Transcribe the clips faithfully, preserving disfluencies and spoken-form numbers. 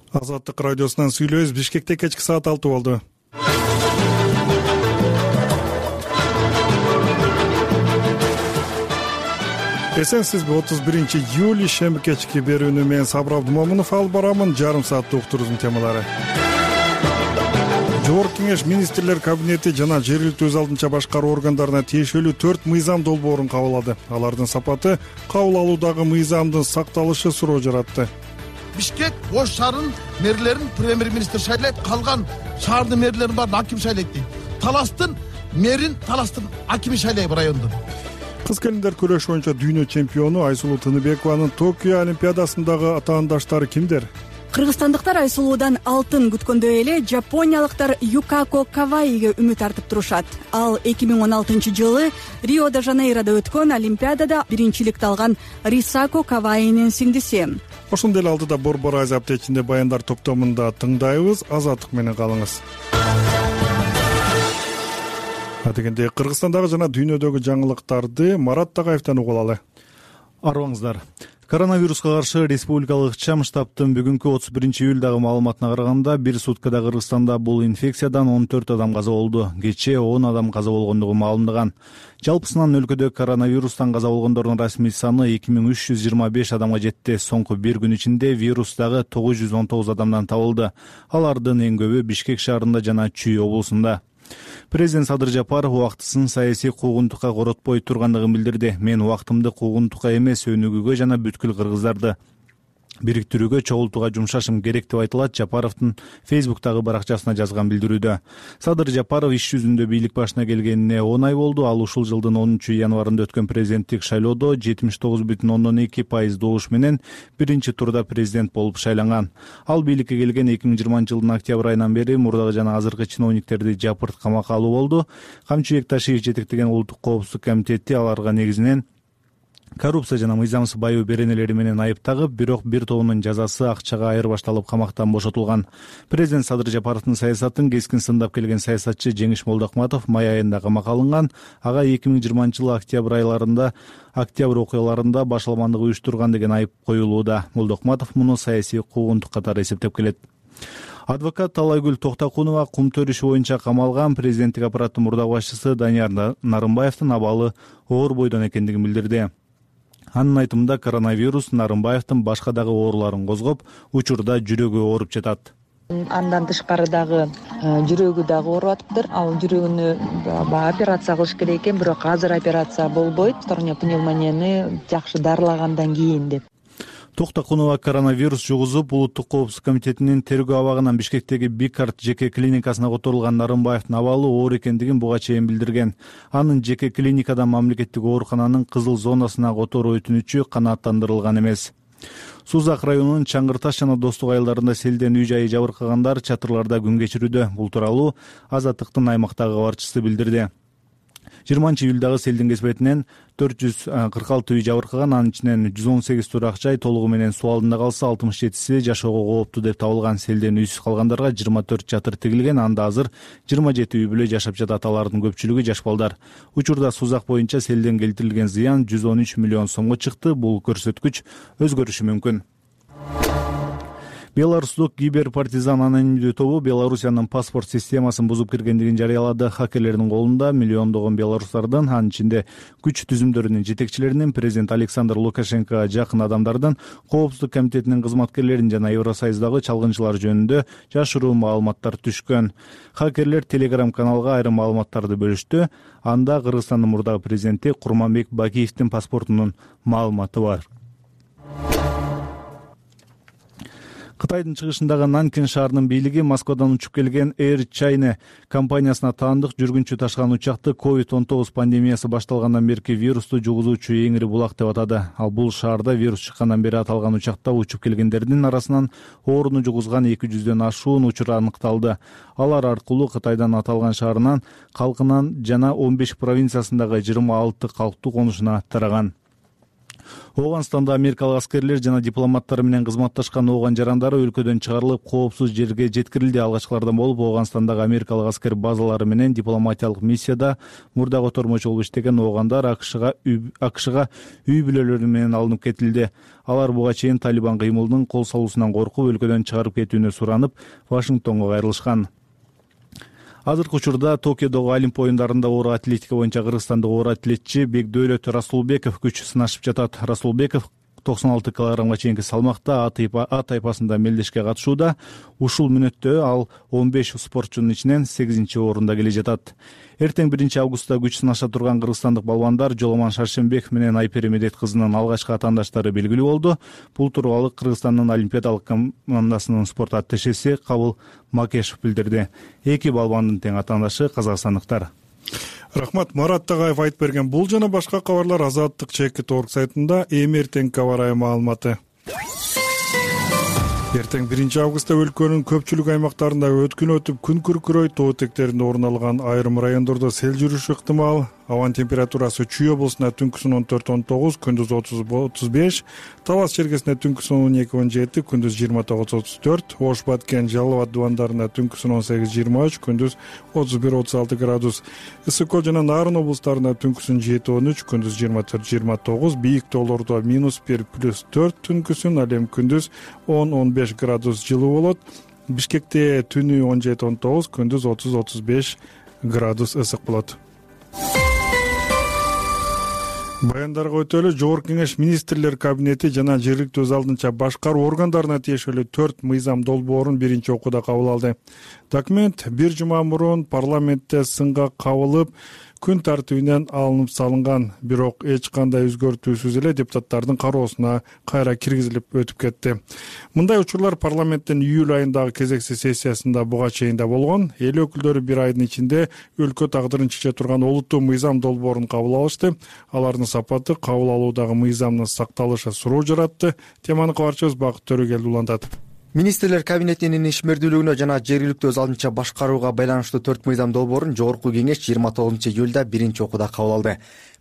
Азаттык радиосунан сүйлөбүз. Бишкекте кечки саат алты болду. Эсенсизби? отуз биринчи июль шемби кечки берүүнү мен Сабыр Абдумомунов алып барамын. Жарым сааттык уктуруздун темалары. Жогорку кеңеш министрлер кабинети жана жергиликтүү өз алдынча башкаруу органдарына тиешелүү төрт мыйзам долбоорун кабыл алды. Алардын сапаты кабыл алуудагы мыйзамдын сакталышы суроо жаратты. Бишкек Ош шаарынын мэрлерин премьер-министр шайлайт, калган шаардын мэрлерин баарын аким шайлайт дейт. Таластын мэрин Таластын акими шайлайт райондон. Кыз келиндер күрөш боюнча дүйнө чемпиону Айсулуу Тыныбекованын Токио олимпиадасындагы атаандаштары кимдер? Кыргызстандыктар Айсулуудан алтын күткөндөй эле жапониялыктар Юкако Каваиге үмүт артып турушат. Ал эки миң он алтынчы жылы Рио-де-Жанейрода өткөн олимпиадада биринчиликти алган Рисако Каваинин сиңдиси. Ошондой эле алдыда Борбор Азия аптечинде баяндар топтомунда тыңдайбыз. Азаттык менен калыңыз. Адегенде Кыргызстандагы жана дүйнөдөгү жаңылыктарды Марат Тагаевден угуп алалы. Арыбаңыздар. Коронавируска каршы республикалык чам штабтын бүгүнкү отуз биринчи июлдагы маалыматына караганда бир суткада Кыргызстанда бул инфекциядан он төрт адам каза болду. Кечээ он адам каза болгондугу маалымдаган. Жалпысынан өлкөдө коронавирустан каза болгондордун расмий саны эки миң үч жүз жыйырма беш адамга жетти. Соңку бир күн ичинде вирус дагы тогуз жүз он тогуз адамдан табылды. Алардын эң көбү Бишкек шаарында жана Чүй облусунда. Президент Садыр Жапаров убактысын саясий куугунтукка коротпой тургандыгын билдирди. Мен убактымды куугунтукка эмес, өнүгүүгө жана бүткүл кыргыздарды бириктирүүгө, чогултууга жумшашым керек деп айтылат Жапаровдун Фейсбуктагы баракчасына жазган билдирүүдө. Садыр Жапаров иш жүзүндө бийлик башына келгенине он ай болду. Ал ушул жылдын онунчу январында өткөн президенттик шайлоодо жетимиш тогуз бүтүн ондон эки пайыз добуш менен биринчи турда президент болуп шайланган. Ал бийликке келген эки миң жыйырманчы жылдын октябрь айынан бери мурдагы жана азыркы чиновниктерди жапырт камакка алуу болду. Камчыбек Ташиев жетектеген улуттук коопсуздук комитети аларга негизинен коррупция жана мыйзамсыз байоо беренелери менен айып тагып, бирок бир тобунун жазасы акчага айырбашталып камактан бошотулган. Президент Садыр Жапаровдун саясатын кескин сындап келген саясатчы Жеңиш Молдокматов май айында камакка алынган. Ага эки миң жыйырманчы жылы октябрь айларында октябрь окуяларында башаламандык уюштурган деген айып коюлууда. Молдокматов муну саясий куугунтук катары эсептеп келет. Адвокат Талайгүл Токтакунова кум төрүшү боюнча камалган. Президенттик аппараттын мурдагы башчысы Данияр Нарымбаевдин абалы оор бойдон экендигин билдирди. Анын айтымында коронавирус Нарымбаевдин башка дагы ооруларын козгоп, учурда жүрөгү ооруп жатат. Андан тышкары дагы жүрөгү дагы ооруп атыптыр. Ал жүрөгүнү операция кылыш керек экен, бирок азыр операция болбойт. Сторонняя пневмонияны жакшы дарылагандан кийин деп. Токтакунова коронавирус жугузуп, улуттук коопсуздук комитетинин тергөө абагынан Бишкектеги Бикарт жеке клиникасына которулган Нарымбаевдин абалы оор экендигин буга чейин билдирген. Анын жеке клиникадан мамлекеттик оорукананын кызыл зонасына которуу өтүнүчү канааттандырылган эмес. Сузак районунун Чаңгыр Таш жана Достук айылдарында селден үй жайы жабыркагандар чатырларда күн кечирүүдө. Бул тууралуу Азаттыктын аймактагы кабарчысы билдирди. жыйырманчы июлдагы селдин кесепетинен төрт жүз кырк алты үй жабыркаган, анын ичинен жүз он сегиз турак жай толугу менен суу алдында калса, алтымыш жетиси жашоого кооптуу деп табылган. Селден үйсүз калгандарга жыйырма төрт чатыр тигилген. Анда азыр жыйырма жети үй бүлө жашап жатат. Алардын көпчүлүгү жаш балдар. Учурда Сузак боюнча селден келтирилген зыян жүз он үч миллион сомго чыкты. Бул көрсөткүч өзгөрүшү мүмкүн. Беларустук киберпартизан анонимдүү тобу Белоруссиянын паспорт системасын бузуп киргендигин жарыялады. Хакерлердин колунда миллиондогон белорустардын, анын ичинде күч түзүмдөрүнүн жетекчилеринин, президент Александр Лукашенкого жакын адамдардын, коопсуздук комитетинин кызматкерлерин жана Евросоюздагы чалгынчылар жөнүндө жашыруу маалыматтар түшкөн. Хакерлер Telegram каналга айрым маалыматтарды бөлүштү. Анда Кыргызстандын мурдагы президенти Курманбек Бакиевдин паспортунун маалыматы бар. Кытайдын чыгышындагы Нанкин шаарынын бийлиги Москвадан учуп келген Air China компаниясына таандык жүргүнчү ташыган учакты ковид он тогуз пандемиясы башталгандан берки вирусту жугузуучу эң ири булак деп атады. Ал бул шаарда вирус чыккандан бери аталган учакта учуп келгендердин арасынан ооруну жугузган эки жүздөн ашуун учур аныкталды. Алар аркылуу Кытайдан аталган шаарынан, калкынан жана он беш провинциясындагы жыйырма алты калктуу конушуна тараган. Ооганстанда америкалык аскерлер жана дипломаттар менен кызматташкан ооган жарандары өлкөдөн чыгарылып, коопсуз жерге жеткирилди. Алгачкылардан болуп Ооганстандагы америкалык аскер базалары менен дипломатиялык миссияда мурда котормочу болуп иштеген оогандар акшга акшга үй бүлөлөрү менен алынып кетилди. Алар буга чейин Талибан кыймылынын кол салуусунан коркуп, өлкөдөн чыгарып кетүүнү суранып, Вашингтонго кайрылышкан. Азыркы учурда Токиодогу Олимп оюндарында оор атлетика боюнча кыргызстандык оор атлетчи Бекдөөлөт Расулбеков күч сынашып жатат. Расулбеков токсон алты килограммга чейинки салмакта А тайпасында мелдешке катышууда. Ушул мүнөттө ал он беш спортчунун ичинен сегизинчи орунда келе жатат. Эртең биринчи августта күч сынаша турган кыргызстандык балбандар Жоломан Шаршембеков менен Айпери Медет кызынын алгачкы атаандаштары белгилүү болду. Бул тууралуу Кыргызстандын олимпиадалык командасынын спорт атташеси Кабыл Макешев билдирди. Эки балбандын тең атаандашы казакстандыктар. Рахмат. Марат Тагаев айтып берген бул жана башка кабарлар Азаттык чекит точка орг сайтында. Эми эртеңки аба ырайы маалыматы. Эртең биринчи августта өлкөнүн көпчүлүк аймактарында өткүн өтүп, күн күркүрөйт. Тоо этектеринде орун алган айрым райондордо сел жүрүшү ыктымал. Абанын температурасы Чүй облусунда түнкүсүн он төрт он тогуз, күндүз отуз отуз беш, Талас чергесинде түнкүсүн он эки он жети, күндүз жыйырма тогуз отуз төрт, Ош Баткен, Жалал абад дубандарында түнкүсүн он сегиз жыйырма үч, күндүз отуз бир отуз алты градус. Ысык Көл жана Нарын облустарында түнкүсүн жети он үч, күндүз жыйырма төрт жыйырма тогуз, бийик тоолордо минус бир плюс төрт түнкүсүн, ал эми күндүз он он беш градус жылуу болот. Бишкекте түнү он жети он тогуз, күндүз отуз отуз беш градус ысык болот. Баяндарга өтөлү Жогорку Кеңеш министрлер кабинети жана жергиликтүү өз алдынча башкаруу органдарына тиешелүү төрт мыйзам долбоорун биринчи окууда кабыл алды. Документ бир жума мурун парламентте сынга кабылып, күн тартибинен алынып салынган, бирок эч кандай өзгөртүүсүз эле депутаттардын кароосуна кайра киргизилип өтүп кетти. Мындай учурлар парламенттин июль айындагы кезексиз сессиясында буга чейин да болгон. Эл өкүлдөрү бир айдын ичинде өлкө тагдырын чече турган олуттуу мыйзам долбоорун кабыл алышты. Алардын сапаты кабыл алуудагы мыйзамдын сакталышы суроо жаратты. Теманы кабарчыбыз Бакыт Төрөгел улантат. Министрлер кабинетинин ишмердүүлүгүнө жана жергиликтүү өз алдынча башкарууга байланыштуу төрт мыйзам долбоорун Жогорку Кеңеш жыйырма тогузунчу июлда биринчи окууда кабыл алды.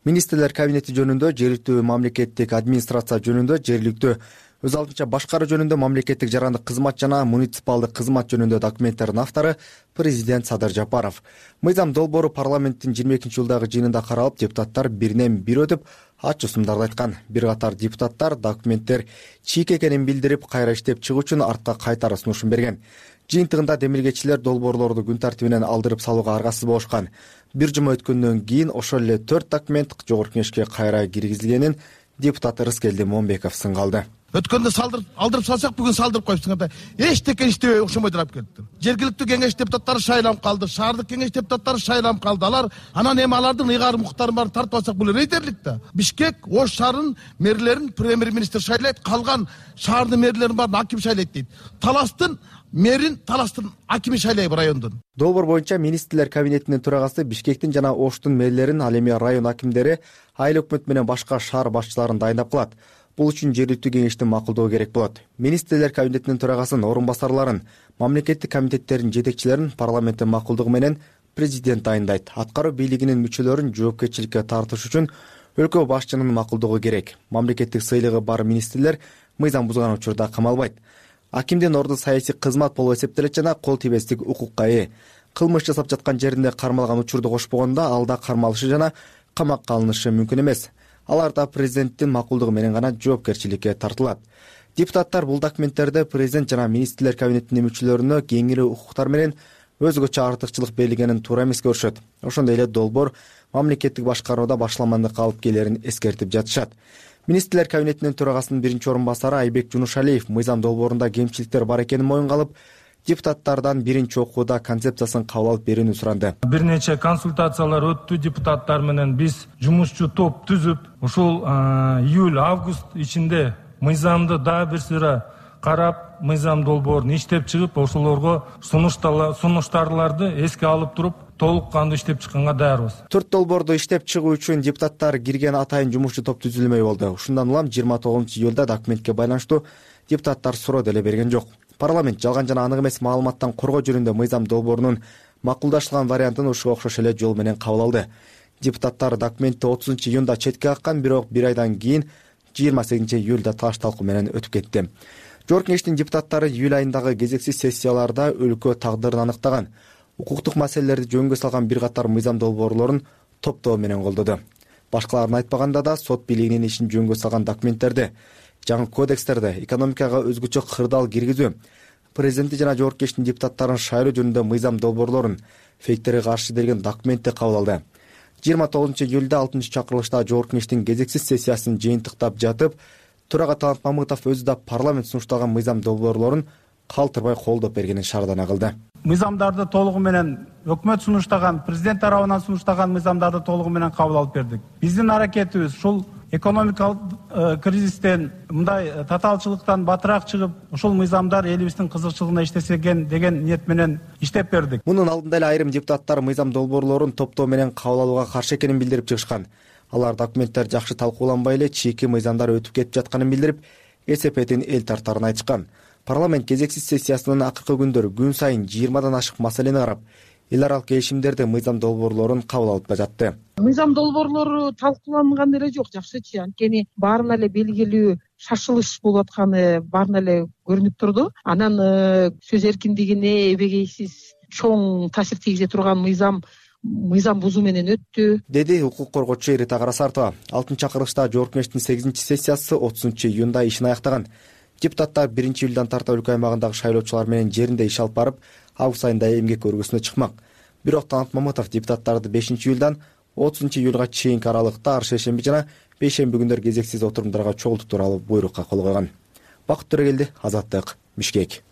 Министрлер кабинети жөнүндө, жергиликтүү мамлекеттик администрация жөнүндө, жергиликтүү өз алдынча башкаруу жөнүндө, мамлекеттик жарандык кызмат жана муниципалдык кызмат жөнүндө документтердин автору президент Садыр Жапаров. Мыйзам долбоору парламенттин жыйырма экинчи жылдагы жыйынында каралып, депутаттар биринен бир өтүп, ачуу сумдарды айткан. Бир катар депутаттар документтер чийик экенин билдирип, кайра иштеп чыгуу үчүн артка кайтара сунушун берген. Жыйынтыгында демилгечилер долбоорлорду күн тартибинен алдырып салууга аргасыз болушкан. Бир жума өткөндөн кийин ошол эле төрт документ Жогорку Кеңешке кайра киргизилгенин депутат Рыскелди Момбеков сынга алды. Өткөндө салдырып алдырып салсак, бүгүн салдырып коюпсуңар да эчтеке иштебей окшомойдур алып келиптир. Жергиликтүү кеңеш депутаттары шайланып калды, шаардык кеңеш депутаттары шайланып калды. Алар анан эми алардын ыйгарым укуктарын баарын тартып алсак, бул рейдерлик да. Бишкек Ош шаарынын мэрлерин премьер-министр шайлайт, калган шаардын мэрлерин баарын аким шайлайт дейт. Таластын мэрин Таластын акими шайлайт райондун. Долбоор боюнча министрлер кабинетинин төрагасы Бишкектин жана Оштун мэрлерин, ал эми район акимдери, айыл өкмөт менен башка шаар башчыларын дайындап калат. Бул үчүн жергиликтүү кеңештин макулдугу керек болот. Министрлер кабинетинин төрагасын, орун басарларын, мамлекеттик комитеттердин жетекчилерин парламенттин макулдугу менен президент дайындайт. Аткаруу бийлигинин мүчөлөрүн жоопкерчиликке тартыш үчүн өлкө башчынын макулдугу керек. Мамлекеттик сыйлыгы бар министрлер мыйзам бузган учурда камалбайт. Акимдин орду саясий кызмат болуп эсептелет жана кол тийбестик укукка ээ. Кылмыш жасап жаткан жеринде кармалган учурду кошпогондо алда кармалышы жана камакка алынышы мүмкүн эмес. Алар да президенттин макулдугу менен гана жоопкерчиликке тартылат. Депутаттар бул документтерде президент жана министрлер кабинетинин мүчөлөрүнө кеңири укуктар менен өзгөчө артыкчылык берилгенин туура эмес көрүшөт. Ошондой эле долбоор мамлекеттик башкарууда башламандыкка алып келерин эскертип жатышат. Министрлер кабинетинин төрагасынын биринчи орун басары Айбек Жунушалиев мыйзам долбоорунда кемчиликтер бар экенин моюнга алып, депутаттардан биринчи окууда концепциясын кабыл алып берүүнү суранды. Бир нече консультациялар өттү депутаттар менен. Биз жумушчу топ түзүп, ушул июль август ичинде мыйзамды дагы бир сыйра карап, мыйзам долбоорун иштеп чыгып, ошолорго сунуштарларды эске алып туруп, толук кандуу иштеп чыкканга даярбыз. Төрт долбоорду иштеп чыгуу үчүн депутаттар кирген атайын жумушчу топ түзүлмөй болду. Ушундан улам жыйырма тогузунчу июлда документке байланыштуу депутаттар суроо деле берген жок. Парламент жалган жана анык эмес маалыматтан коргоо жөнүндө мыйзам долбоорунун макулдашылган вариантын ушуга окшош эле жол менен кабыл алды. Депутаттар документти отузунчу июнда четке каккан, бирок бир айдан кийин жыйырма сегизинчи июлда таш талкуу менен өтүп кетти. Жогорку кеңештин депутаттары июль айындагы кезексиз сессияларда өлкө тагдырын аныктаган укуктук маселелерди жөнгө салган бир катар мыйзам долбоорлорун топтоо менен колдоду. Башкаларын айтпаганда да сот бийлигинин ишин жөнгө салган документтерди, жаңы кодекстерди, экономикага өзгөчө кырдаал киргизүү, президенти жана жогорку кеңештин депутаттарын шайлоо жөнүндө мыйзам долбоорлорун, фейктерге каршы берген документти кабыл алды. жыйырма тогузунчу июлда алтынчы чакырылышта жогорку кеңештин кезексиз сессиясын жыйынтыктап жатып, төрага Талант Мамытов өзү да парламент сунушталган мыйзам долбоорлорун калтырбай колдоп бергенин шаардана кылды. Мыйзамдарды толугу менен өкмөт сунуштаган, президент тарабынан сунуштаган мыйзамдарды толугу менен кабыл алып бердик. Биздин аракетибиз ушул экономикалык кризистен, мындай татаалчылыктан батыраак чыгып, ушул мыйзамдар элибиздин кызыкчылыгына иштесеген деген ниет менен иштеп бердик. Мунун алдында эле айрым депутаттар мыйзам долбоорлорун топтоо менен кабыл алууга каршы экенин билдирип чыгышкан. Алар документтер жакшы талкууланбай эле чийки мыйзамдар өтүп кетип жатканын билдирип, эсепетин эл тартарын айтышкан. Парламент кезексиз сессиясынын акыркы күндөрү күн сайын жыйырмадан ашык маселени карап, эл аралык келишимдерди, мыйзам долбоорлорун кабыл алып жатты. Мыйзам долбоорлору талкууланган эле жок, жакшычы. Анткени баарына эле белгилүү шашылыш болуп атканы баарына эле көрүнүп турду. Анан сөз эркиндигине эбегейсиз чоң таасир тийгизе турган мыйзам мыйзам бузуу менен өттү, деди укук коргоочу Рита Карасартова. Алтынчы чакырылышта жогорку кеңештин сегизинчи сессиясы отузунчу июнда ишин аяктаган. Депутаттар биринчи июлдан тарта өлкө аймагындагы шайлоочулар менен жеринде иш алып барып, август айында эмгек өргөсүнө чыкмак. Бирок Талант Мамытов депутаттарды бешинчи июлдан отузунчу июлга чейинки аралыкта ар шейшемби жана бейшемби күндөр кезексиз отурумдарга чогултуу тууралуу буйрукка кол койгон. Бакыт Төрөгелди, Азаттык, Бишкек.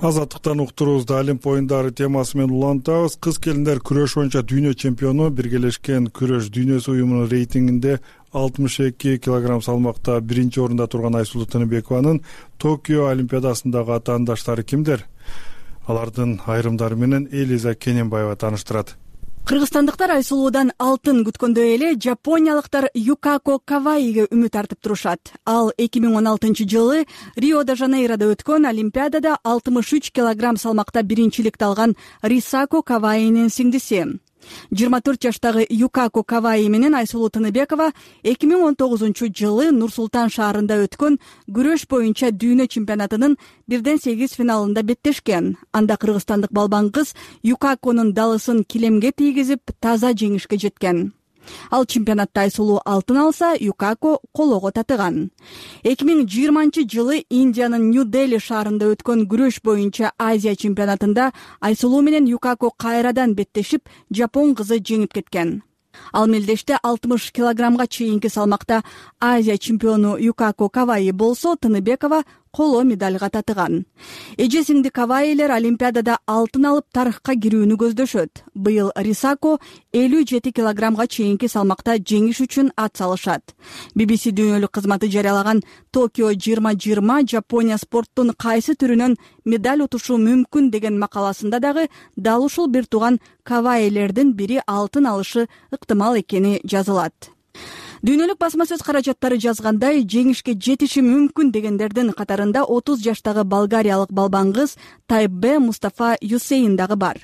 Азаттыктан уктуруубузду Олимп оюндары темасы менен улантабыз. Кыз келиндер күрөш боюнча дүйнө чемпиону Биргелешкен күрөш дүйнөсү уюмунун рейтингинде алтымыш эки килограмм салмакта биринчи орунда турган Айсулуу Тыныбекованын Токио Олимпиадасындагы атаандаштары кимдер? Алардын айрымдары менен Элиза Кененбаева тааныштырат. Кыргызстандыктар Айсулуудан алтын күткөндөй эле жапониялыктар Юкако Каваиге үмүт артып турушат. Ал эки миң он алтынчы жылы Рио-де-Жанейрода өткөн Олимпиадада алтымыш үч килограмм салмакта биринчиликти алган Рисако Каваинин сиңдиси. жыйырма төрт жаштагы Юкако Каваи менен Айсулуу Тыныбекова эки миң он тогузунчу жылы Нур-Султан шаарында өткөн күрөш боюнча дүйнө чемпионатынын бирден сегиз финалында беттешкен. Анда кыргызстандык балбан кыз Юкаконун далысын килемге тийгизип, таза жеңишке жеткен. Ал чемпионатта Айсулуу алтын алса, Юкако колого татыган. эки миң жыйырманчы жылы Индиянын Нью-Дели шаарында өткөн күрөш боюнча Азия чемпионатында Айсулуу менен Юкако кайрадан беттешип, жапон кызы жеңип кеткен. Ал мелдеште алтымыш килограммга чейинки салмакта Азия чемпиону Юкако Каваи болсо, Тыныбекова коло медальга татыган. Эже сиңди Каваилер Олимпиадада алтын алып тарыхка кирүүнү көздөшөт. Быйыл Рисако элүү жети килограммга чейинки салмакта жеңиш үчүн ат салышат. би би си дүйнөлүк кызматы жарыялаган Токио жыйырма жыйырма Жапония спорттун кайсы түрүнөн медаль утушу мүмкүн деген макаласында дагы дал ушул бир тууган Каваилердин бири алтын алышы ыктымал экени жазылат. Дүйнөлүк басма сөз каражаттары жазгандай, жеңишке жетиши мүмкүн дегендердин катарында отуз жаштагы болгариялык балбан кыз Тайбе Мустафа Юсейн дагы бар.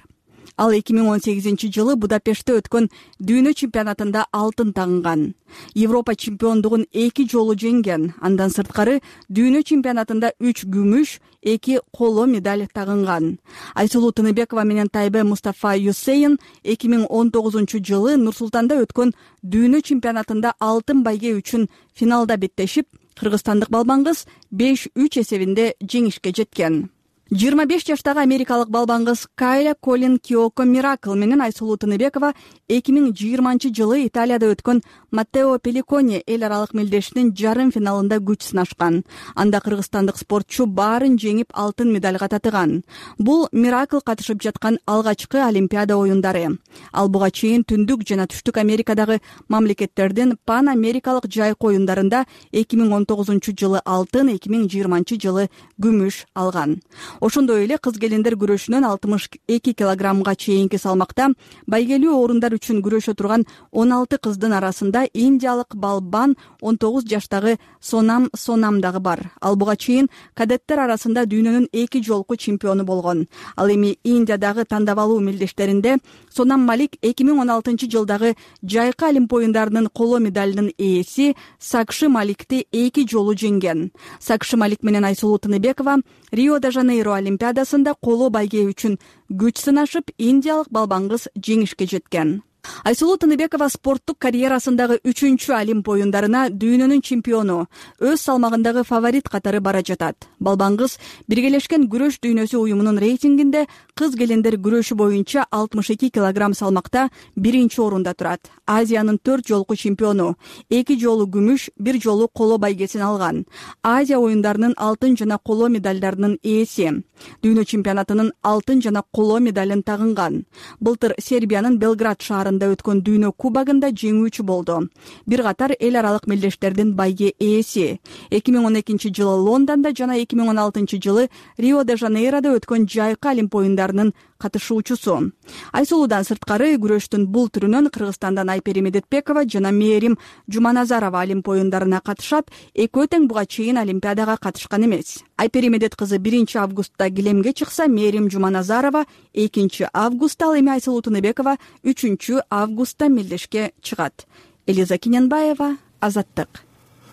Ал эки миң он сегизинчи жылы Будапештте өткөн дүйнө чемпионатында алтын тагынган. Европа чемпиондугун эки жолу жеңген. Андан сырткары дүйнө чемпионатында үч күмүш, эки коло медаль тагынган. Айсулуу Тыныбекова менен Тайбе Мустафа Юсейн эки миң он тогузунчу жылы Нур-Султанда өткөн дүйнө чемпионатында алтын байге үчүн финалда беттешип, кыргызстандык балбан кыз беш үч эсебинде жеңишке жеткен. жыйырма беш жаштагы америкалык балбан кыз Кайла Колин Киоко Миракл менен Айсулуу Тыныбекова эки миң жыйырманчы жылы Италияда өткөн Маттео Пеликоне эл аралык мелдешинин жарым финалында күч сынашкан. Анда кыргызстандык спортчу баарын жеңип алтын медальга татыган. Бул Миракл катышып жаткан алгачкы Олимпиада оюндары. Ал буга чейин түндүк жана түштүк Америкадагы мамлекеттердин пан америкалык жайкы оюндарында эки миң он тогузунчу жылы алтын, эки миң жыйырманчы жылы күмүш алган. Ошондой эле кыз келиндер күрөшүнөн алтымыш эки килограммга чейинки салмакта байгелүү орундар үчүн күрөшө турган он алты кыздын арасында индиялык Балбан он тогуз жаштагы Сонам Сонам дагы бар. Ал буга чейин кадеттер арасында дүйнөнүн эки жолку чемпиону болгон. Ал эми Индиядагы тандабалуу мелдештеринде Сонам Малик эки миң он алтынчы жылдагы жайкы Олимп оюндарынын коло медалынын ээси Сакши Маликти эки жолу жеңген. Сакши Малик менен Айсулуу Тыныбекова Рио-де-Жанейро олимпиадасында коло байге үчүн күч сынашып, индиялык балбан кыз жеңишке жеткен. Айсулуу Тыныбекова спорттук карьерасындагы үчүнчү Олимп оюндарына дүйнөнүн чемпиону, өз салмагындагы фаворит катары бара жатат. Балбан кыз Биргелешкен күрөш дүйнөсү уюмунун рейтингинде кыз келиндер күрөшү боюнча алтымыш эки килограмм салмакта биринчи орунда турат. Азиянын төрт жолку чемпиону, эки жолу күмүш, бир жолу коло байгесин алган. Азия оюндарынын алтын жана коло медалдарынын ээси. Дүйнө чемпионатынын алтын жана коло медалын тагынган. Былтыр Сербиянын Белград шаарында өткөн дүйнө кубогунда жеңүүчү болду. Бир катар эл аралык мелдештердин байге ээси. эки миң он экинчи жылы Лондондо жана эки миң он алтынчы жылы Рио-де-Жанейрода өткөн жайкы Олимп оюндарынын катышуучусу. Айсулуудан сырткары күрөштүн бул түрүнөн Кыргызстандан Айпери Медетбекова жана Мээрим Жуманазарова Олимп оюндарына катышат. Экөө тең буга чейин Олимпиадага катышкан эмес. Айпери Медет кызы биринчи августта килемге чыкса, Мээрим Жуманазарова экинчи августта, ал эми Айсулуу Тыныбекова үчүнчү августта мелдешке чыгат. Элиза Киненбаева, Азаттык.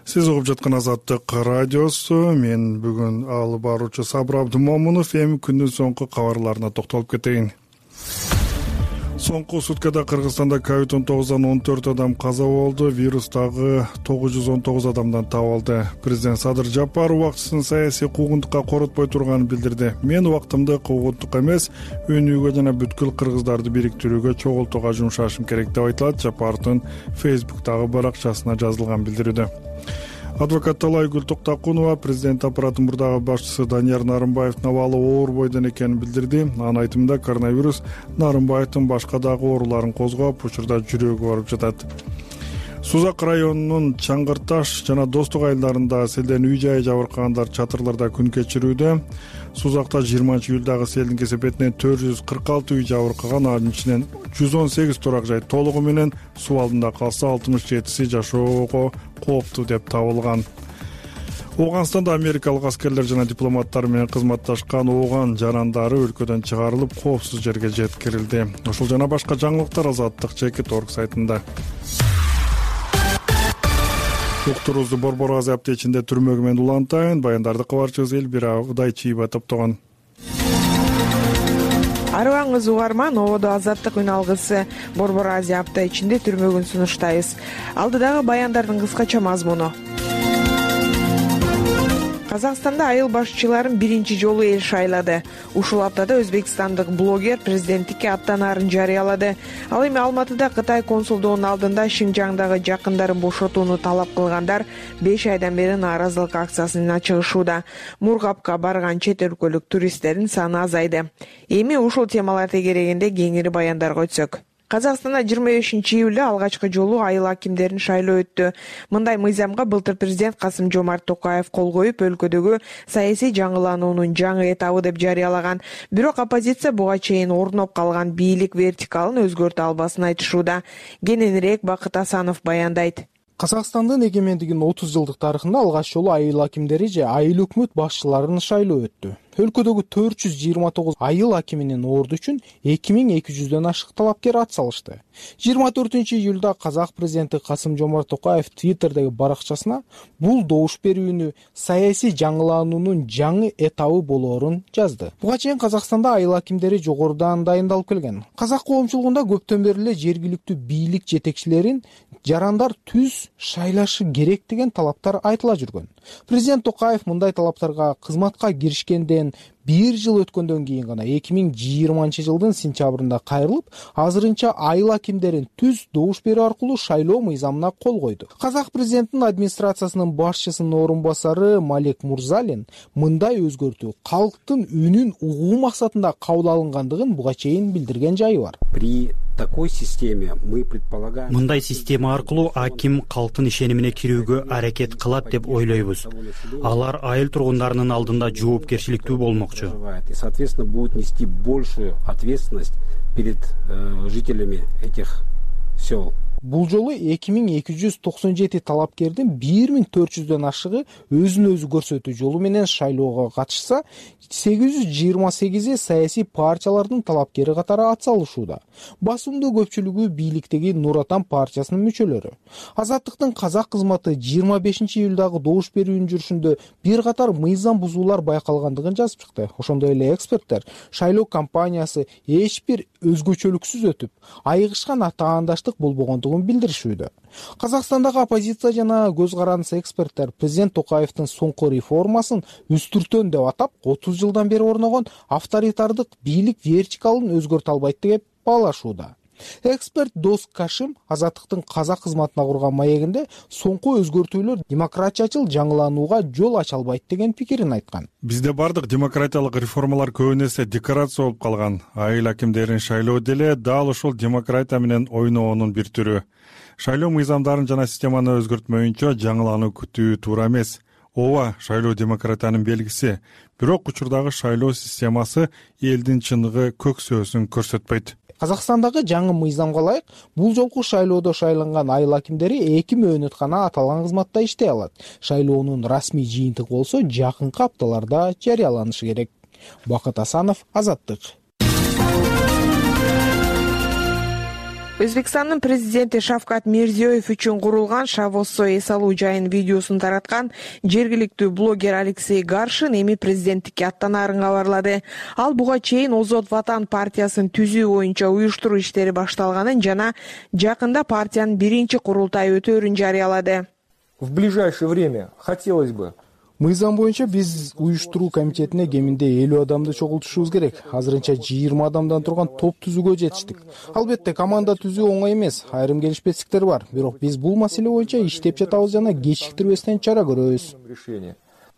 Сиз угуп жаткан Азаттык радиосу. Мен бүгүн алып баруучу Сабыр Абдымомунов. Эми күндүн соңку кабарларына токтолуп кетейин. Соңку суткада Кыргызстанда ковид он тогуздан он төрт адам каза болду. Вирус дагы тогуз жүз он тогуз адамдан табылды. Президент Садыр Жапаров убактысын саясий куугунтукка коротпой турганын билдирди. Мен убактымды куугунтукка эмес, өнүүгө жана бүткүл кыргыздарды бириктирүүгө, чогултууга жумшашым керек деп айтылат Жапаровдун Фейсбуктагы баракчасына жазылган билдирүүдө. Адвокат Талайгүл Токтакунова президент аппаратынын мурдагы башчысы Данияр Нарымбаевдин абалы оор бойдон экенин билдирди. Анын айтымында коронавирус Нарымбаевдин башка дагы ооруларын козгоп, учурда жүрөгү барып жатат. Сузак районунун Чаңгырташ жана Достук айылдарында селден үй-жайы жабыркагандар чатырларда күн кечирүүдө. Сузакта жыйырманчы июлдагы селдин кесепетинен төрт жүз кырк алты үй жабыркаган, анын ичинен жүз он сегиз турак жай толугу менен суу алдында калса, алтымыш жетиси жашоого кооптуу деп табылган. Ооганстанда америкалык аскерлер жана дипломаттар менен кызматташкан ооган жарандары өлкөдөн чыгарылып, коопсуз жерге жеткирилди. Ушул жана башка жаңылыктар Азаттык чекит орг сайтында. Уктуруубузду Борбор Азия аптечинде түрмөгү менен улантайын. Баяндарды кабарчыбыз Элбира Удайчиева топтогон. Арыбаңыз угарман, ободо Азаттык үн алгысы Борбор Азия апта ичинде түрмөгүн сунуштайбыз. Алдыдагы баяндардын кыскача мазмуну. Казакстанда айыл башчыларын биринчи жолу эл шайлады. Ушул аптада өзбекстандык блогер президенттикке аттанаарын жарыялады. Ал эми Алматыда Кытай консулдугунун алдында Шинжаңдагы жакындарын бошотууну талап кылгандар беш айдан бери нааразылык акциясына чыгышууда. Мургапка барган чет өлкөлүк туристтердин саны азайды. Эми ушул темалар тегерегинде кеңири баяндарга өтсөк. Казакстанда жыйырма бешинчи июлда алгачкы жолу айыл акимдерин шайлоо өттү. Мындай мыйзамга былтыр президент Касым-Жомарт Токаев кол коюп, өлкөдөгү саясий жаңылануунун жаңы этабы деп жарыялаган. Бирок оппозиция буга чейин орноп калган бийлик вертикалын өзгөртө албасын айтышууда. Кененирээк Бакыт Асанов баяндайт. Казакстандын эгемендигинин отуз жылдык тарыхында алгач жолу айыл акимдери же айыл өкмөт башчыларын шайлоо өттү. Өлкөдөгү төрт жүз жыйырма тогуз айыл акиминин орду үчүн эки миң эки жүздөн ашык талапкер ат салышты. жыйырма төртүнчү июлда казак президенти Касым-Жомарт Токаев Твиттердеги баракчасына бул добуш берүүнү саясий жаңылануунун жаңы этабы болоорун жазды. Буга чейин Казакстанда айыл акимдери жогорудан дайындалып келген. Казак коомчулугунда көптөн бери эле жергиликтүү бийлик жетекчилерин жарандар түз шайлашы керек деген талаптар айтыла жүргөн. Президент Токаев мындай талаптарга кызматка киришкенден бир жыл өткөндөн кийин гана эки миң жыйырманчы жылдын сентябрында кайрылып, азырынча айыл акимдерин түз добуш берүү аркылуу шайлоо мыйзамына кол койду. Казак президентинин администрациясынын башчысынын орун басары Малек Мурзалин мындай өзгөртүү калктын үнүн угуу максатында кабыл алынгандыгын буга чейин билдирген жайы бар. При такой системе мы предполагаем. Мындай система аркылуу аким калктын ишенимине кирүүгө аракет кылат деп ойлойбуз. Алар айыл тургундарынын алдында жоопкерчиликтүү болмокчу. И, соответственно, будут нести большую ответственность перед э, жителями этих сел. Бул жолу эки миң эки жүз токсон жети талапкердин бир миң төрт жүздөн ашыгы өзүн өзү көрсөтүү жолу менен шайлоого катышса, сегиз жүз жыйырма сегизи саясий партиялардын талапкери катары атсалышууда. Басымдуу көпчүлүгү бийликтеги Нур Отан партиясынын мүчөлөрү. Азаттыктын казак кызматы жыйырма бешинчи июлдагы добуш берүүнүн жүрүшүндө бир катар мыйзам бузуулар байкалгандыгын жазып чыкты. Ошондой эле эксперттер шайлоо кампаниясы эч бир өзгөчөлүксүз өтүп, айыгышкан атаандаштык болбогондугун билдиришүүдө. Казакстандагы оппозиция жана көз карандысы эксперттер президент Токаевдин соңку реформасын үстүртөн деп атап, отуз жылдан бери орногон авторитардык бийлик вертикалын өзгөртө албайт деп баалашууда. Эксперт Дос Кашим Азаттыктын казак кызматына курган маегинде соңку өзгөртүүлөр демократиячыл жаңыланууга жол ача албайт деген пикирин айткан. Бизде бардык демократиялык реформалар көбүн эсе декорация болуп калган. Айыл акимдерин шайлоо деле дал ошол демократия менен ойноонун бир түрү. Шайлоо мыйзамдарын жана системаны өзгөртмөйүнчө жаңылануу күтүү туура эмес. Ооба, шайлоо демократиянын белгиси. Бирок учурдагы шайлоо системасы элдин чыныгы көксөөсүн көрсөтпөйт. Казакстандагы жаңы мыйзамга ылайык, бул жолку шайлоодо шайланган айыл акимдери эки мөөнөт гана аталган кызматта иштей алат. Шайлоонун расмий жыйынтыгы болсо жакынкы апталарда жарыяланышы керек. Бакыт Асанов, Азаттык. Өзбекстандын президенти Шавкат Мирзиёев үчүн курулган Шавоссо эс алуу жайынын видеосун тараткан жергиликтүү блогер Алексей Гаршин эми президенттикке аттанаарын кабарлады. Ал буга чейин Озод Ватан партиясын түзүү боюнча уюштуруу иштери башталганын жана жакында партиянын биринчи курултайы өтөөрүн жарыялады. В ближайшее время хотелось бы Мыйзам боюнча биз уюштуруу комитетине кеминде элүү адамды чогултушубуз керек. Азырынча жыйырма адамдан турган топ түзүүгө жетиштик. Албетте, команда түзүү оңой эмес, айрым келишпестиктер бар. Бирок биз бул маселе боюнча иштеп жатабыз жана кечиктирбестен чара көрөбүз.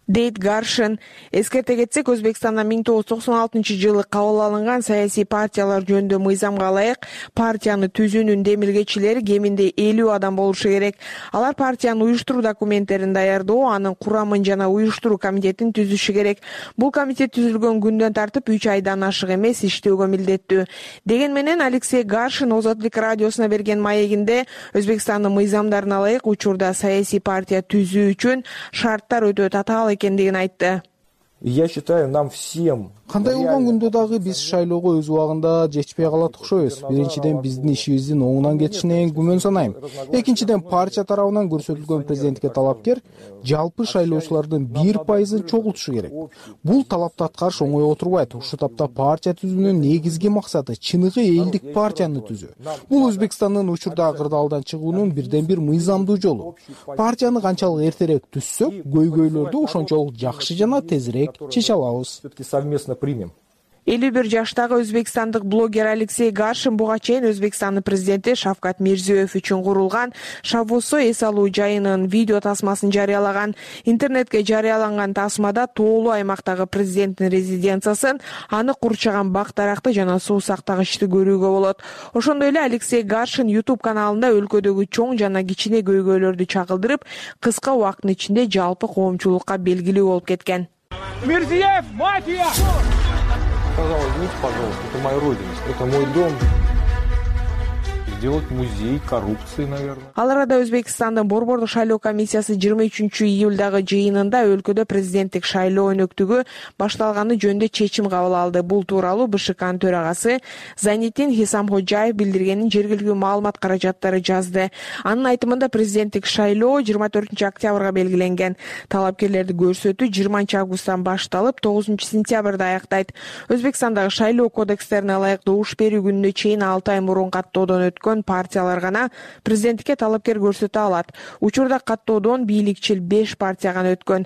Дейт Гаршин. Эскерте кетсек, Өзбекстанда миң тогуз жүз токсон алтынчы жылы кабыл алынган саясий партиялар жөнүндө мыйзамга ылайык партияны түзүүнүн демилгечилери кеминде элүү адам болушу керек. Алар партиянын уюштуруу документтерин даярдоо, анын курамын жана уюштуруу комитетин түзүшү керек. Бул комитет түзүлгөн күндөн тартып үч айдан ашык эмес иштөөгө милдеттүү. Деген менен Алексей Гаршин Озодлук радиосуна берген маегинде Өзбекстандын мыйзамдарына ылайык учурда саясий партия түзүү үчүн шарттар өтө татаал экендигин айтты. Я считаю, нам всем Кандай болгон күндө дагы биз шайлоого өз убагында жетишпей калат окшойбуз. Биринчиден, биздин ишибиздин оңунан кетишине күмөн санайм. Экинчиден, партия тарабынан көрсөтүлгөн президентке талапкер жалпы шайлоочулардын бир пайызын чогултушу керек. Бул талапты аткарыш оңой отурбайт. Ушул тапта партия түзүүнүн негизги максаты чыныгы элдик партияны түзүү. Бул Өзбекстандын учурдагы кырдаалдан чыгуунун бирден бир мыйзамдуу жолу. Партияны канчалык эртерээк түзсөк, көйгөйлөрдү ошончолук жакшы жана тезирээк чече алабыз. Примем. элүү бир жаштагы өзбекстандык блогер Алексей Гаршин буга чейин Өзбекстандын президенти Шавкат Мирзиёев үчүн курулган Шавоссо эс алуу жайынын видео тасмасын жарыялаган. Интернетке жарыяланган тасмада тоолуу аймактагы президенттин резиденциясын, аны курчаган бак-даракты жана суу сактагычты көрүүгө болот. Ошондой эле Алексей Гаршин YouTube каналында өлкөдөгү чоң жана кичине көйгөйлөрдү чагылдырып, кыска убакыттын ичинде жалпы коомчулукка белгилүү болуп кеткен. Мирзиёев, мафия! Пожалуйста, извините, пожалуйста, это моя родина, это мой дом. Сделать музей коррупции, наверное. Ал арада Өзбекстандын Борбордук шайлоо комиссиясы жыйырма үчүнчү июлдагы жыйынында өлкөдө президенттик шайлоо өнөктүгү башталганы жөнүндө чечим кабыл алды. Бул тууралуу бэ ш кнын төрагасы Зайнитдин Хисамходжаев билдиргенин жергиликтүү маалымат каражаттары жазды. Анын айтымында президенттик шайлоо жыйырма төртүнчү октябрга белгиленген. Талапкерлерди көрсөтүү жыйырманчы августтан башталып, тогузунчу сентябрда аяктайт. Өзбекстандагы шайлоо кодекстерине ылайык добуш берүү күнүнө чейин алты ай мурун каттоодон өткөн партиялар гана президенттикке талапкер көрсөтө алат. Учурда каттоодон бийликчил беш партия гана өткөн.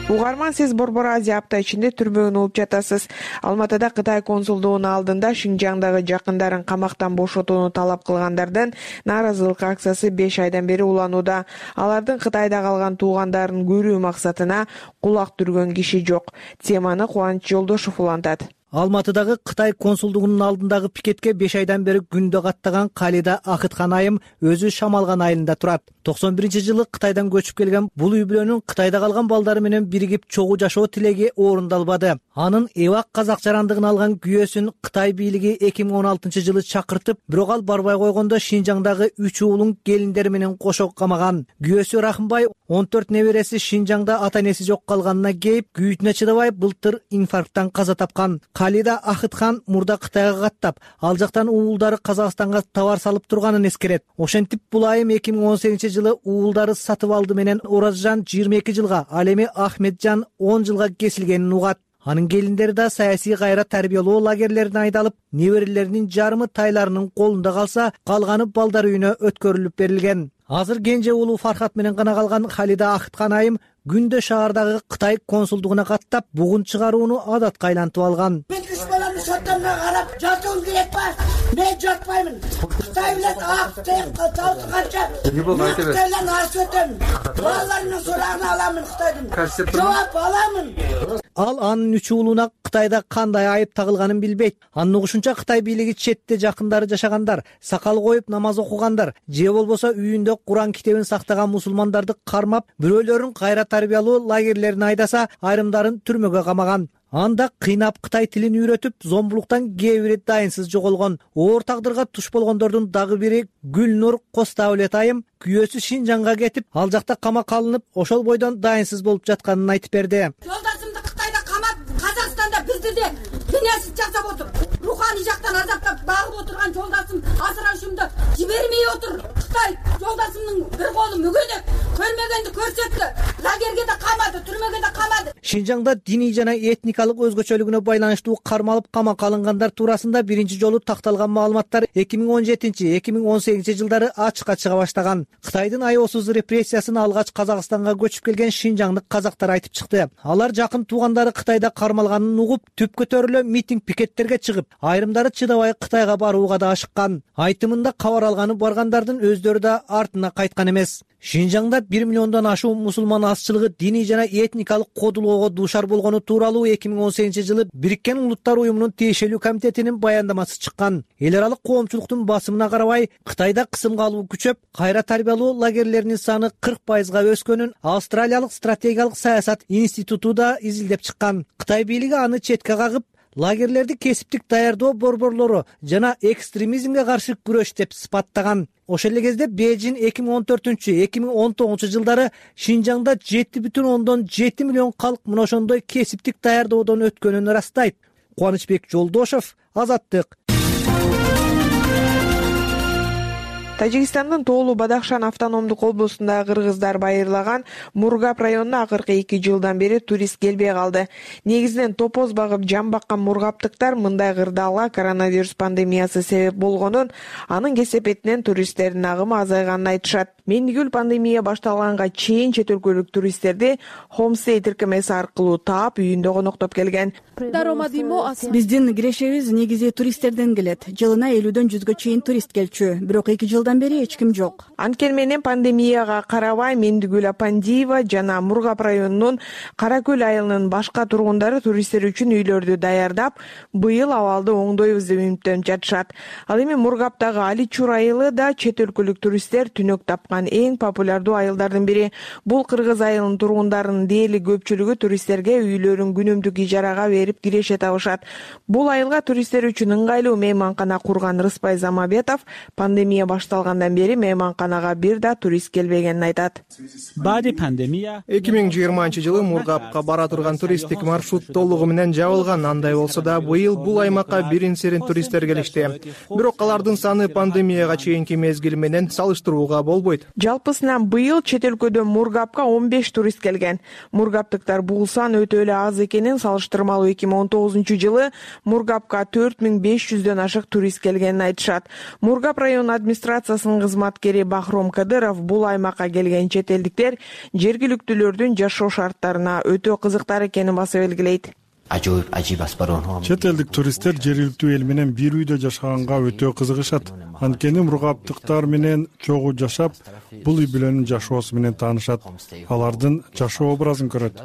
Угарман, сиз Борбор Азия апта ичинде түрмөгөн болуп жатасыз. Алматыда Кытай консулдугунун алдында Шинжаңдагы жакындарын камактан бошотууну талап кылгандардын нааразылык акциясы беш айдан бери уланууда. Алардын Кытайда калган туугандарын көрүү максатына кулак түргөн киши жок. Теманы Кубаныч Жолдошов улантат. Алматыдагы Кытай консулдугунун алдындагы пикетке беш айдан бери күндө каттаган Калида Акыткан айым өзү Шамалган айылында турат. токсон биринчи жылы Кытайдан көчүп келген бул үй бүлөнүн Кытайда калган балдары менен биригип чогуу жашоо тилеги орундалбады. Анын эбак казак жарандыгын алган күйөөсүн Кытай бийлиги эки миң он алтынчы жылы чакыртып, бирок ал барбай койгондо Шинжаңдагы үч уулун келиндери менен кошо камаган. Күйөөсү Рахымбай он төрт небереси Шинжаңда ата энеси жок калганына кейип, күйүүтүнө чыдабай былтыр инфаркттан каза тапкан. Калида Акыткан мурда Кытайга каттап, ал жактан уулдары Казакстанга товар салып турганын эскерет. Ошентип бул айым эки миң он сегизинчи жылы уулдары сатып алды менен Оразжан жыйырма эки жылга, ал эми Ахметжан он жылга кесилгенин угат. Анын келиндери да саясий кайра тарбиялоо лагерлерине айдалып, неберелеринин жарымы тайларынын колунда калса, калганы балдар үйүнө өткөрүлүп берилген. Азыр кенже уулу Фархат менен гана калган Калида Акыткан айым күндө шаардагы Кытай консулдугуна каттап, бугун чыгарууну адатка айлантып алган. Мен үч баламды соттомго карап, жатуум керек ба? Мен жатпаймын. Кытай билет ак тек талканча. Кытайдан асып өтөм. Балаларымдын сурагын аламын Кытайдын. Жооп аламын. Ал анын үч уулуна Кытайда кандай айып тагылганын билбейт. Анын угушунча Кытай бийлиги четте жакындары жашагандар, сакал коюп намаз окугандар, же болбосо үйүндө Куран китебин сактаган мусулмандарды кармап, бирөөлөрүн кайра тарбиялоо лагерлерине айдаса, айрымдарын түрмөгө камаган. Анда кыйнап Кытай тилин үйрөтүп, зомбулуктан кээ бири дайынсыз жоголгон. Оор тагдырга туш болгондордун дагы бири Гүлнур Костаулет айым күйөөсү Шинжаңга кетип, ал жакта камакка алынып, ошол бойдон дайынсыз болуп жатканын айтып берди. Жолдашымды Кытайда камап, Казакстанда бизди де дүниясыз жасап отур. Руханий жактан азаптап багып отурган жолдашым Асырашымды жибермей отур. Кытай жолдашымдын бир колу мүгөнөк, көрмөгөндү көрсөттү. Лагерге да камады, түрмөгө да камады. Шинжаңда диний жана этникалык өзгөчөлүгүнө байланыштуу кармалып камакка алынгандар туурасында биринчи жолу такталган маалыматтар эки миң он жетинчи эки миң он сегизинчи жылдары ачыкка чыга баштаган. Кытайдын аеосуз репрессиясын алгач Казакстанга көчүп келген шинжаңдык казактар айтып чыкты. Алар жакын туугандары Кытайда кармалганын угуп, түп көтөрүлө митинг пикеттерге чыгып, айрымдары чыдабай Кытайга барууга да ашыккан. Айтымында кабар алганы баргандардын өздөрү да артына кайткан эмес. Шинжаңда бир миллиондон ашуун мусулман азчылыгы диний жана этникалык кодулоого дуушар болгону тууралуу эки миң он сегизинчи жылы Бириккен Улуттар уюмунун тиешелүү комитетинин баяндамасы чыккан. Эл аралык коомчулуктун басымына карабай, Кытайда кысымга алуу күчөп, кайра тарбиялоо лагерлеринин саны кырк пайызга өскөнүн Австралиялык стратегиялык саясат институту да изилдеп чыккан. Кытай бийлиги аны четке кагып, лагерлерди кесиптик даярдоо борборлору жана экстремизмге каршы күрөш деп сыпаттаган. Ошол эле кезде Бейжин эки миң он төртүнчү эки миң он тогузунчу жылдары Шинжаңда жети бүтүн ондон жети миллион калк мына ошондой кесиптик даярдоодон өткөнүн ырастайт. Кубанычбек Жолдошов, Азаттык. Тажикстандын Тоолу Бадахшан автономдук облусундагы кыргыздар байырлаган Мургап районуна акыркы эки жылдан бери турист келбей калды. Негизинен топоз багып жан баккан мургаптыктар мындай кырдаалга коронавирус пандемиясы себеп болгонун, анын кесепетинен туристтердин агымы азайганын айтышат. Мендигүл пандемия башталганга чейин чет өлкөлүк туристтерди Homestay тиркемеси аркылуу таап, үйүндө коноктоп келген. Биздин кирешебиз негизи туристтерден келет. Жылына элүүдөн жүзгө чейин турист келчү, бирок эки жылдан бери эч ким жок. Анткени менен пандемияга карабай Мендигүл Апандиева жана Мургап районунун Кара Көл айылынын башка тургундары туристтер үчүн үйлөрдү даярдап, быйыл абалды оңдойбуз деп үмүттөнүп жатышат. Ал эми Мургаптагы Аличур айылы да чет өлкөлүк туристтер түнөк тапкан эң популярдуу айылдардын бири. Бул кыргыз айылынын тургундарынын дээрлик көпчүлүгү туристтерге үйлөрүн күнүмдүк ижарага берип киреше табышат. Бул айылга туристтер үчүн ыңгайлуу мейманкана курган Рыспай Замабетов пандемия башталгандан бери мейманканага бир да турист келбегенин айтат. эки миң жыйырманчы жылы Мургапка бара турган туристтик маршрут толугу менен жабылган. Андай болсо да быйыл бул аймакка бирин-серин туристтер келишти. Бирок алардын саны пандемияга чейинки мезгил менен салыштырууга болбойт. Жалпысынан быйыл чет өлкөдөн Мургапка он беш турист келген. Мургаптыктар бул сан өтө эле аз экенин салыштырмалуу эки миң он тогузунчу жылы Мургапка төрт миң беш жүздөн ашык турист келгенин айтышат. Мургап район администрациясынын кызматкери Бахром Кадыров бул аймакка келген чет элдиктер жергиликтүүлөрдүн жашоо шарттарына өтө кызыктар экенин басып белгилейт. чет элдик туристтер жергиликтүү эл менен бир үйдө жашаганга өтө кызыгышат. Анткени мургаптыктар менен чогуу жашап, бул үй бүлөнүн жашоосу менен таанышат, алардын жашоо образын көрөт.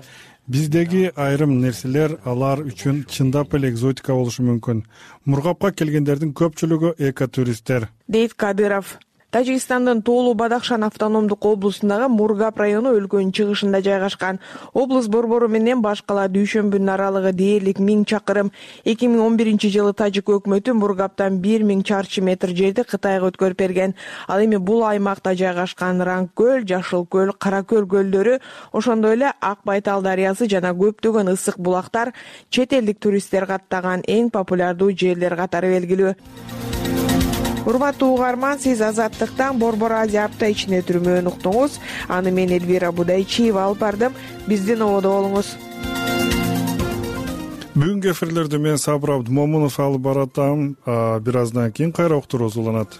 Биздеги айрым нерселер алар үчүн чындап эле экзотика болушу мүмкүн. Мургапка келгендердин көпчүлүгү экотуристтер, дейт Кадыров. Тажикстандын Тоолу Бадахшан автономдук облусундагы Мургап району өлкөнүн чыгышында жайгашкан. Облус борбору менен баш кала Дүйшөмбүнүн аралыгы дээрлик миң чакырым. эки миң он биринчи жылы тажик өкмөтү Мургаптан бир миң чарчы метр жерди Кытайга өткөрүп берген. Ал эми бул аймакта жайгашкан Ранг көл, Жашыл көл, Кара көл көлдөрү, ошондой эле Ак Байтал дарыясы жана көптөгөн ысык булактар чет элдик туристтер каттаган эң популярдуу жерлер катары белгилүү. Урматтуу угарман, сиз Азаттыктан Борбор Азия апта ичинде түрмөөнү уктуңуз. Аны мен Эльвира Будайчиева алып бардым. Биздин ободо болуңуз. Бүгүнкү эфирлерди мен Сабыр Абдымомунов алып баратам. Бир аздан кийин кайра уктуруубуз уланат.